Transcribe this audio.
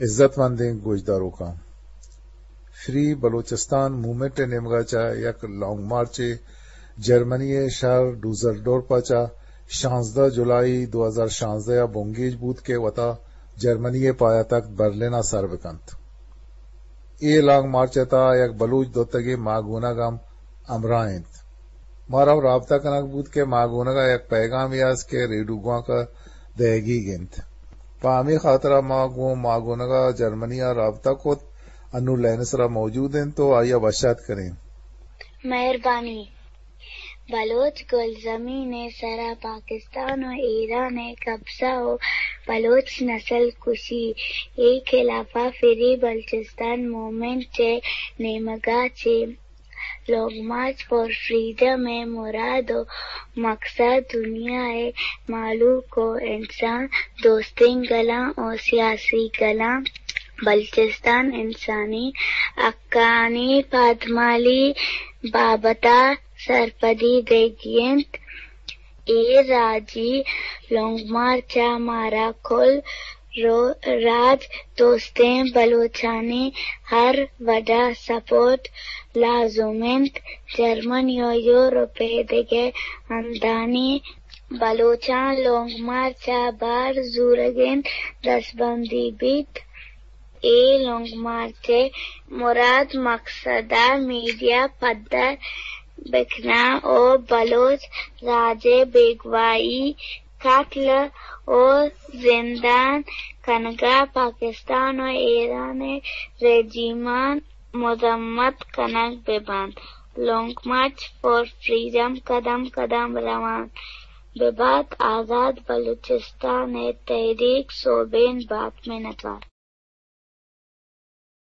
عزت مندیں گوشداروکاں، فری بلوچستان موومنٹ ءِ نیمگ ءَ چہ یک لانگ مارچے جرمنی ءِ شہر ڈوزلڈورپ ءَ چہ شانزدہ جولائی دو ہزار شانزدہ ءَ بنگیج بوت کہ وتا جرمنی ءِ پایتخت برلن ءَ سر بکنت۔ اے لانگ مارچ ءِ تہا یک بلوچ دوتگیں ماگونگ ہم ہمراہ انت۔ مارا رابطہ کنگ بوت کہ ماگونگ ءَ یک پیغامے است کہ ریڈیو گوانک ءَ دئیگیگ انت۔ پہ ہمے خاطرا ما گوں ماگونگ ءَ جرمنی ءَ رابطہ کت، انوں لائن ءِ سرا موجود انت ءُ آئی ءَ وش آتک کنیں۔ مہربانی۔ بلوچ گلزمین ءِ سرا پاکستان ءُ ایران ءِ قبضہ ءُ بلوچ نسل کشی ءِ خلاف ءَ فری بلوچستان موومنٹ ءِ نیمگ ءَ چہ لانگ مارچ فار فریڈم ءِ مراد ءُ مقصد دنیا ءِ مہلوک ءُ انسان دوستیں گلاں ءُ سیاسی گلاں بلوچستان انسانی حقانی پادمالی بابت ءَ سرپدی دیگی انت۔ اے راجی لانگ مارچ ءَ مارا کل رو-، راج دوستیں بلوچانی ہر وڑ ءَ سپورٹ لازم انت۔ جرمنی ءُ یورپ ءِ دگہ ہندانی بلوچاں لانگ مارچ ءَ بہر زورگ انت، دستبندی بیت۔ اے لانگ مارچ ءِ مراد مقصد ءَ میڈیا پدر بکنان ءُ بلوچ راج ءِ بیگواہی، قتل ءُ زندان کنگ ءَ پاکستان ءُ ایران ءِ رژیماں مذمت کنگ بہ بنت۔ لانگ مارچ فار فریڈم قدم قدم روان بہ بات، آزاد بلوچستان ءِ تحریک سوبین بات۔ منتوار۔